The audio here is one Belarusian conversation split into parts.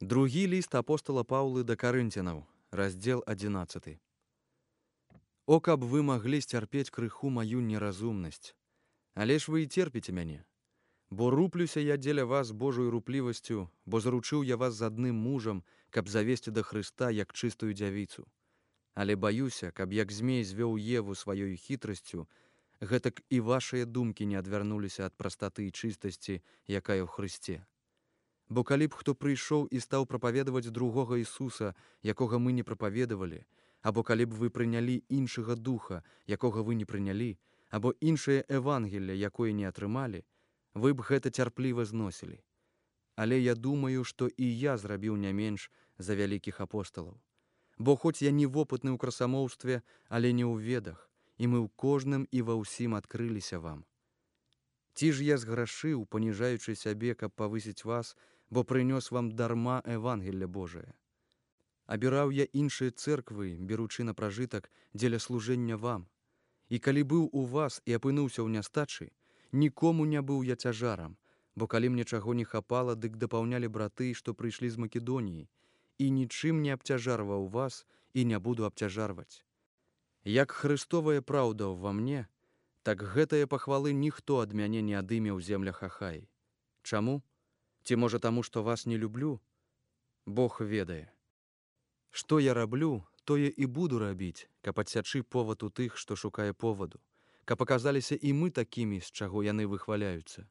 Другі ліст апостала Паўлы да Карынцянаў, раздзел 11. О, каб вы маглі сцярпець крыху маю неразумнасць, але ж вы і церпіце мяне. Бо руплюся я дзеля вас Божою руплівасцю, бо заручыў я вас з адным мужам, каб завесці да Хрыста як чыстую дзявіцу. Але баюся, каб як змей звёў Еву сваёю хітрасцю, гэтак і вашыя думкі не адвярнуліся ад прастаты і чыстасці, якая ў Хрысце. Бо калі б хто прыйшоў і стаў прапаведаваць другога Ісуса, якога мы не прапаведавалі, або калі б вы прынялі іншага духа, якога вы не прынялі, або іншае Евангелле, якое не атрымалі, вы б гэта цярпліва зносілі. Але я думаю, што і я зрабіў не менш за вялікіх апосталаў. Бо хоць я не вопытны ў красамоўстве, але не ў ведах, і мы ў кожным і ва ўсім адкрыліся вам. Ці ж я зграшыў, паніжаючы сябе, каб павысіць вас, бо прынёс вам дарма Евангелле Божае. Абіраў я іншыя цэрквы, беручы на пражытак дзеля служэння вам. І калі быў у вас і апынуўся ў нястачы, нікому не быў я цяжарам, бо калі мне чаго не хапала, дык дапаўнялі браты, што прыйшлі з Македоніі, і нічым не абцяжарваў вас і не буду абцяжарваць. Як Хрыстовая праўда ўва мне, так гэтае пахвалы ніхто ад мяне не адыме ў землях Ахаі. Чаму? Ці можа таму, што вас не люблю? Бог ведае. Што я раблю, тое і буду рабіць, каб адсячы повад у тых, што шукае поваду, каб аказаліся і мы такімі, з чаго яны выхваляюцца.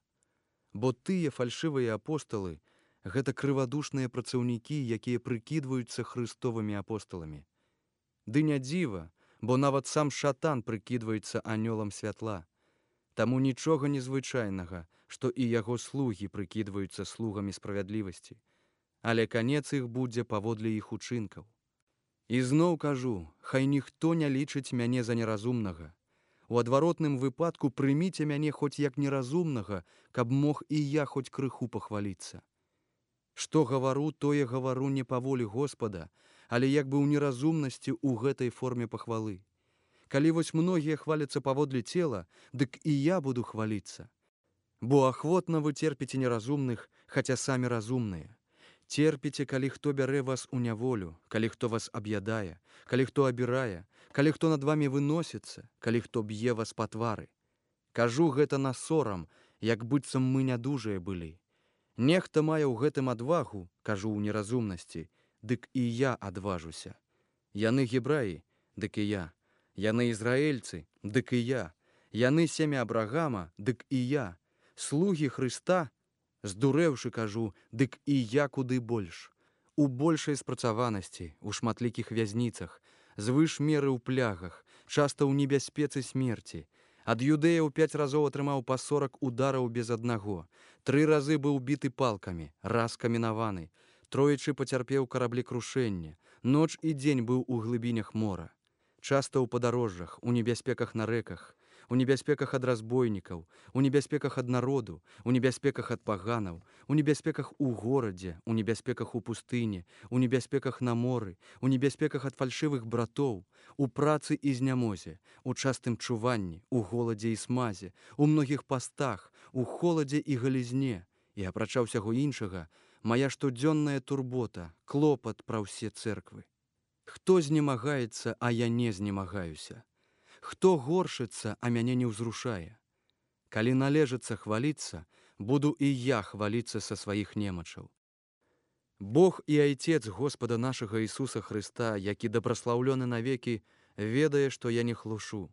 Бо тыя фальшывыя апосталы — гэта крывадушныя працаўнікі, якія прыкідваюцца хрыстовымі апосталамі. Ды не дзіва, бо нават сам шатан прыкідваецца анёлам святла. Таму нічога незвычайнага, што і яго слугі прыкідваюцца слугамі справядлівасці. Але канец іх будзе паводле іх учынкаў. І зноў кажу, хай ніхто не лічыць мяне за неразумнага. У адваротным выпадку прыміце мяне хоць як неразумнага, каб мог і я хоць крыху пахваліцца. Што гавару, тое гавару не па волі Господа, але як бы ў неразумнасці ў гэтай форме пахвалы. Калі вось многія хваляцца паводле цела, дык і я буду хваліцца. Бо ахвотна вы церпіце неразумных, хаця самі разумныя. Церпіце, калі хто бярэ вас у няволю, калі хто вас аб'ядае, калі хто абірае, калі хто над вамі выносіцца, калі хто б'е вас па твары. Кажу гэта на сорам, як быццам мы нядужыя былі. Нехта мае ў гэтым адвагу, кажу ў неразумнасці, дык і я адважуся. Яны гебраі, дык і я. Яны ізраэльцы, дык і я. Яны семя Абрагама, дык і я. Слугі Хрыста, здурэўшы кажу, дык і я куды больш. У большай спрацаванасці, у шматлікіх вязніцах, звыш меры ў плягах, часта ў небяспецы смерці. Ад юдэяў 5 разоў атрымаў па 40 удараў без аднаго. 3 разы быў біты палкамі, раз каменаваны. Троечы пацярпеў караблекрушэнне. Ноч і дзень быў у глыбінях мора. Часта ў падарожжах, у небяспеках на рэках, у небяспеках ад разбойнікаў, у небяспеках ад народу, у небяспеках ад паганаў, у небяспеках у горадзе, у небяспеках у пустыні, у небяспеках на моры, у небяспеках ад фальшывых братоў, у працы і знямозе, у частым чуванні, у голадзе і смазе, у многіх пастах, у холадзе і галізне, і апрача ўсяго іншага, мая штодзённая турбота, клопат пра ўсе цэрквы. Хто знемагаецца, а я не знемагаюся? Хто горшыцца, а мяне не ўзрушае? Калі належыцца хваліцца, буду і я хваліцца са сваіх немачаў. Бог і Айцец Господа нашага Ісуса Хрыста, які дабраслаўлёны навекі, ведае, што я не хлушу.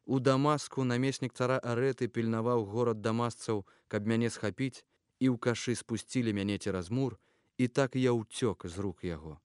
У Дамаску намеснік цара Арэты пільнаваў горад дамасцаў, каб мяне схапіць, і ў кашы спусцілі мяне цераз мур, і так я ўцёк з рук яго.